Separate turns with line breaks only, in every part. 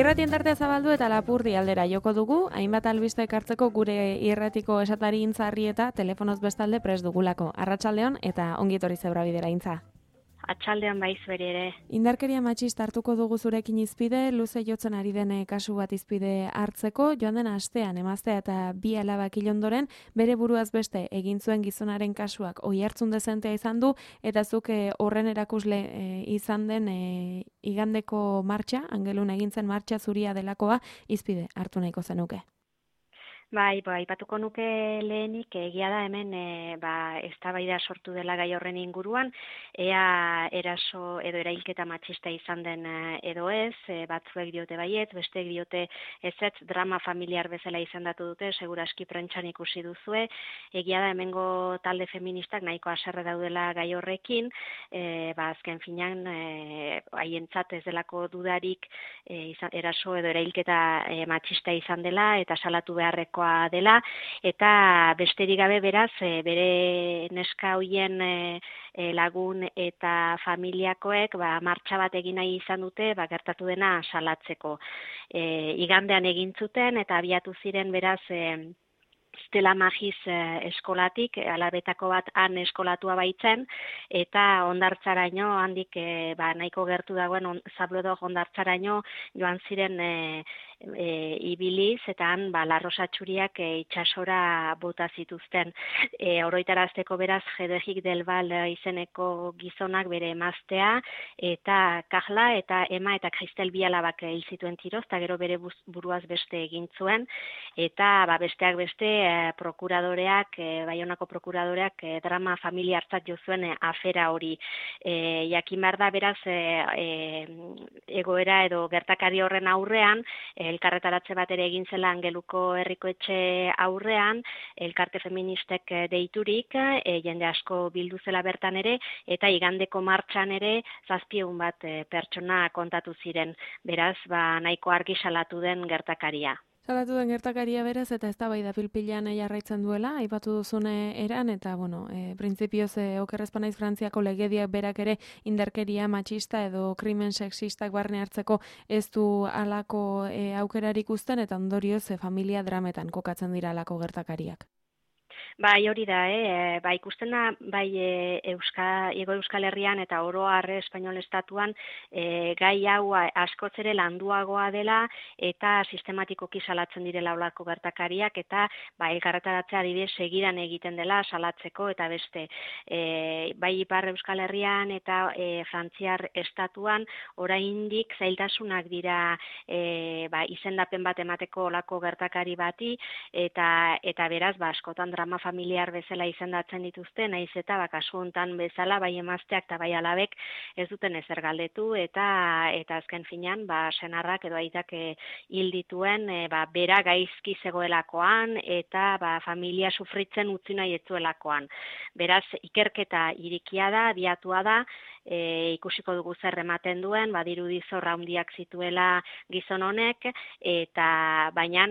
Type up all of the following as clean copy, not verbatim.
Irratien tartea zabaldu eta Lapurdi aldera joko dugu, hainbat albiste ekartzeko gure irratiko esatari intzarri eta telefonoz bestalde prest dugulako. Arratsaldeon eta ongi etorri Zebrabidera intza.
Atxaldean baiz bere ere.
Indarkeria matxista hartuko dugu zurekin izpide, luze jotzen ari den kasu bat izpide hartzeko, joan den astean emaztea eta bi alabak hil ondoren, bere buruaz beste egin zuen gizonaren kasuak oihartzun dezentea izan du, eta zuk horren erakusle izan den igandeko martxa, Angelun egin zen martxa zuria delakoa, izpide hartu nahiko zenuke.
Bai, aipatuko nuke lehenik, egia da hemen eztabaida sortu dela gai horren inguruan, ea eraso edo erailketa matxista izan den edo ez, batzuek diote baiet, besteek diote ezetz, drama familiar bezala izendatu dute, seguraski prentsan ikusi duzue, egia da hemengo talde feministak nahiko haserre daudela gai horrekin, azken finean haientzat ez delako dudarik eraso edo erailketa matxista izan dela eta salatu beharreko dela, eta besterik gabe beraz, bere neska hoien lagun eta familiakoek martxa bat egin nahi izan dute, gertatu dena salatzeko. Igandean egin zuten eta abiatu ziren beraz Stella Magis eskolatik, alabetako bat han eskolatua baitzen, eta hondartzaraino, handik nahiko gertu dagoen Zablodo hondartzaraino joan ziren ibiliz, eta han larrosa txuriak itsasora bota zituzten. Oroitarazteko beraz, Jedegik del Val izeneko gizonak bere emaztea, eta Kajla eta Ema eta Kristel bi alabak hil zituen tiroz, eta gero bere buruaz beste egin zuen, eta besteak beste prokuradoreak, Baionako prokuradoreak drama familiartzat jo zuen afera hori. Jakin behar da beraz egoera edo gertakari horren aurrean, elkarretaratze bat ere egin zela Angeluko herrikoetxe aurrean, elkarte feministek deiturik, jende asko bildu zela bertan ere, eta igandeko martxan ere 700 bat pertsona kontatu ziren. Beraz, nahiko argi salatu den gertakaria.
Salatu den gertakaria beraz, eta eztabaida pil-pilean jarraitzen duela, aipatu duzune eran, eta, printzipioz okerrezpa naiz Frantziako legediak berak ere indarkeria matxista edo krimen sexistak barne hartzeko ez du halako aukerarik uzten, eta ondorioz familia drametan kokatzen dira halako gertakariak.
Bai, hori da, ikusten da, Ego Euskal Herrian eta oro harre Espainol Estatuan gai hau askoz ere landuagoa dela eta sistematikoki salatzen direla olako gertakariak eta elkarretaratzea adibidez segidan egiten dela salatzeko eta beste. Bai Ipar Euskal Herrian eta Frantziar Estatuan oraindik zailtasunak dira izendapen bat emateko olako gertakari bati eta beraz askotan drama familiar bezala izendatzen dituzte, naiz eta kasu hontan bezala bai emazteak eta bai alabek ez duten ezer galdetu eta azken finean senarrak edo aitak hil dituen bera gaizki zegoelakoan eta familia sufritzen utzi nahi ez zuelakoan. Beraz, ikerketa irikia da, abiatua da, ikusiko dugu zer ematen duen, dirudi zorra handiak zituela gizon honek, eta baina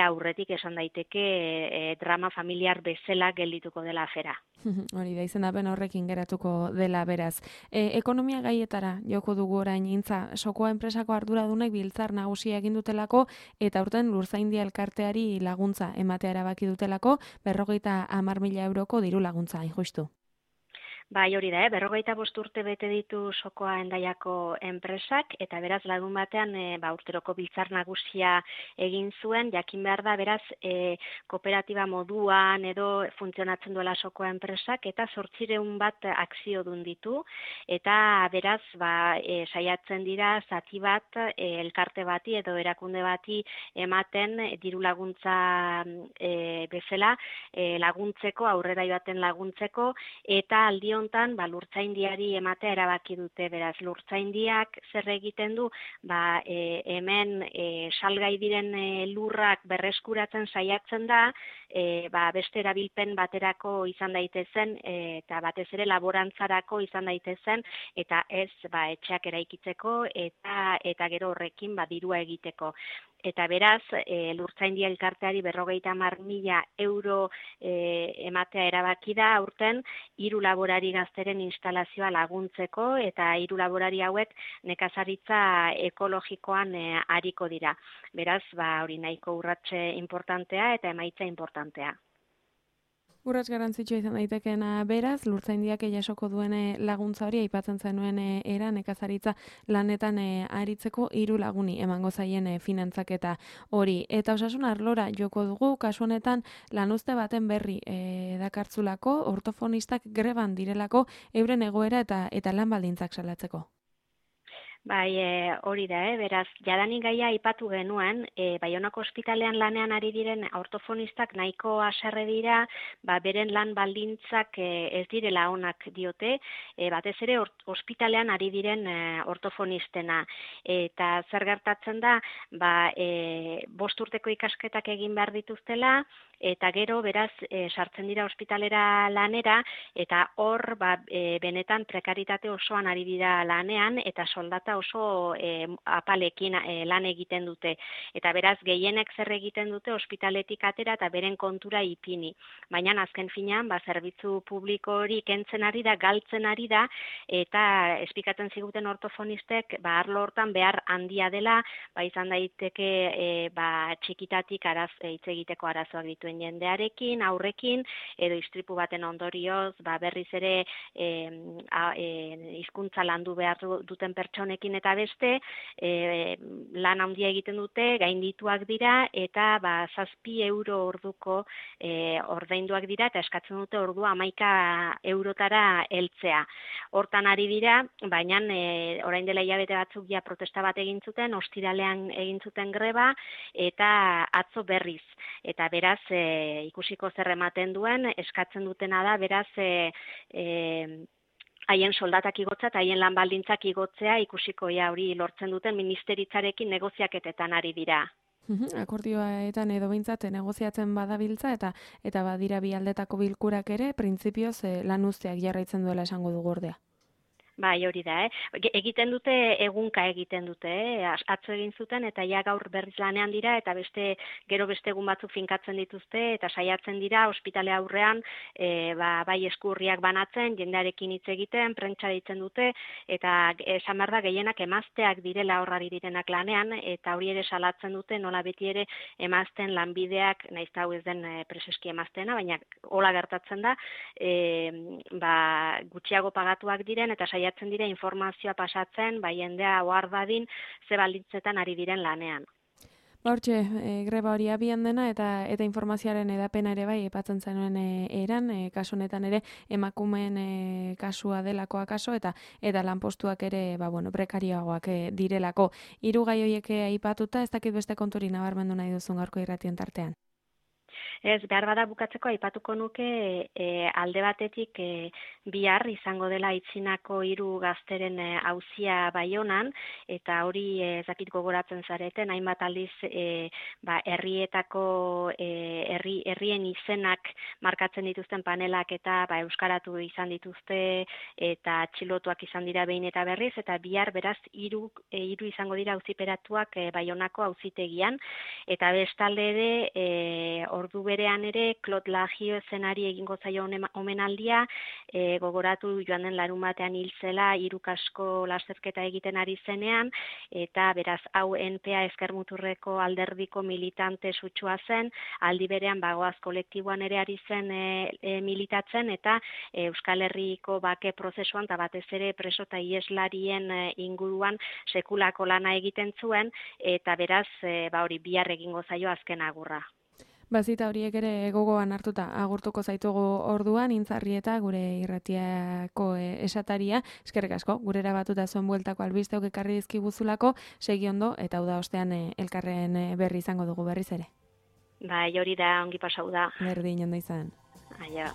aurretik esan daiteke drama familiar bezala geldituko dela afera.
Hori da, izendapen horrekin geratuko dela beraz. Ekonomia gaietara joko dugu orain intza, Sokoa enpresako arduradunek biltzar nagusia egin dutelako eta aurten Lurzaindia elkarteari laguntza ematea erabaki dutelako 50.000 euroko diru laguntza hain justu.
Bai, hori da, 55 urte bete ditu Sokoa Hendaiako enpresak, eta beraz lagun batean urteroko biltzar nagusia egin zuen, jakin behar da, beraz, kooperatiba moduan edo funtzionatzen duela Sokoa enpresak, eta 800 bat akziodun ditu, eta beraz, saiatzen dira zati bat elkarte bati edo erakunde bati ematen diru laguntza bezala laguntzeko, aurrera joaten laguntzeko, eta aldi hontan Lurtzaindiari ematea erabaki dute, beraz Lurtzaindiak zer egiten du, hemen salgai diren lurrak berreskuratzen saiatzen da, beste erabilpen baterako izan daitezen eta batez ere laborantzarako izan daitezen eta ez etxeak eraikitzeko eta gero horrekin dirua egiteko. eta beraz, Lurtzaindia elkarteari 50.000 euro ematea erabaki da aurten 3 laborari gazteren instalazioa laguntzeko, eta 3 laborari hauek nekazaritza ekologikoan ariko dira. Beraz, hori nahiko urratxe importantea eta emaitza importantea.
Urrats garrantzitsua izan daitekeena beraz, Lurtzaindiak jasoko duen laguntza hori aipatzen zenuen era nekazaritza lanetan aritzeko 3 laguni emango zaien finantzaketa hori. Eta osasun arlora joko dugu, kasu honetan lanuzte baten berri dakartzulako, ortofonistak greban direlako euren egoera eta lan baldintzak salatzeko.
Bai, hori da, beraz, jadanik gaia aipatu genuen, Baionako ospitalean lanean ari diren ortofonistak nahiko haserre dira, beren lan baldintzak ez direla onak diote, batez ere ospitalean ari diren ortofonistena. Eta zer gertatzen da, 5 urteko ikasketak egin behar dituztela, eta gero, beraz, sartzen dira ospitalera lanera, eta hor, benetan prekaritate osoan ari dira lanean, eta soldata oso apalekin lan egiten dute. Eta beraz, gehienek zer egiten dute ospitaletik atera eta beren kontura ipini. Baina azken finean, zerbitzu publiko hori kentzen ari da, galtzen ari da, eta espikatzen ziguten ortofonistek, arlo hortan behar handia dela, izan daiteke txikitatik hitz egiteko arazoak dituen jendearekin, aurrekin, edo istripu baten ondorioz, berriz ere hizkuntza landu behar duten pertsonekin eta beste, lan handia egiten dute, gaindituak dira, eta 7 euro orduko ordainduak dira, eta eskatzen dute ordua 11 eurotara heltzea. Hortan ari dira, baina orain dela hilabete batzuk ja protesta bat egin zuten, ostiralean egin zuten greba, eta atzo berriz. Eta beraz, ikusiko zer ematen duen, eskatzen dutena da, beraz, haien soldatak igotzea eta haien lan baldintzak igotzea, ikusiko hori lortzen duten ministeritzarekin negoziaketetan ari dira.
Akordioetan edo behintzat negoziatzen badabiltza eta badira bi aldetako bilkurak ere, printzipioz lan uzteak jarraitzen duela esango dugu ordea.
Bai, hori da, egiten dute, egunka egiten dute, atzo egin zuten, eta ja gaur berriz lanean dira, eta gero beste egun batzuk finkatzen dituzte, eta saiatzen dira, ospitale aurrean, bai eskurriak banatzen, jendearekin hitz egiten, prentsa ditzen dute, eta esan behar da gehienak emazteak direla horrari direnak lanean, eta hori ere salatzen dute, nola beti ere emazten lanbideak, nahiz hau ez den preseski emazteena, baina hola gertatzen da, gutxiago pagatuak diren, eta saiatzen dira informazioa pasatzen, jendea ohar dadin ze baldintzetan ari diren lanean.
Hortxe, greba hori abian dena eta informazioaren edapena ere bai epatzen zenuen eran, kasu honetan ere emakumeen kasua delako akaso eta lanpostuak ere prekarioagoak direlako. 3 gai horiek aipatuta, ez dakit beste konturi nabarmendu nahi duzun gaurko irratien tartean.
Ez, behar bada bukatzeko aipatuko nuke alde batetik bihar izango dela Aitzinako 3 gazteren auzia Baionan, eta hori ezakit gogoratzen zareten, hainbat aldiz herrietako herrien izenak markatzen dituzten panelak eta euskaratu izan dituzte eta atxilotuak izan dira behin eta berriz, eta bihar beraz 3 izango dira auziperatuak Baionako auzitegian, eta bestalde ere ordu berean ere, Klot Lagio zenari egingo zaio omenaldia, gogoratu joan den larunbatean hil zela, 3 kasko lasterketa egiten ari zenean, eta beraz hau NPA Ezker-Muturreko alderdiko militante sutsua zen, aldi berean Bagoaz kolektiboan ere ari zen militatzen, eta Euskal Herriko bake prozesuan, eta batez ere preso eta ieslarien inguruan sekulako lana egiten zuen, eta beraz hori bihar egingo zaio azken agurra.
Bazita horiek ere gogoan hartuta agurtuko zaitugu orduan, Intzarrieta gure irratiako esataria, eskerrik asko, gurera batuta zuen bueltako albisteok ekarri dizkiguzulako, segi ondo eta uda ostean elkarren berri izango dugu berriz ere.
Bai, hori da, ongi pasau da.
Berdin ondo izan.
Aio.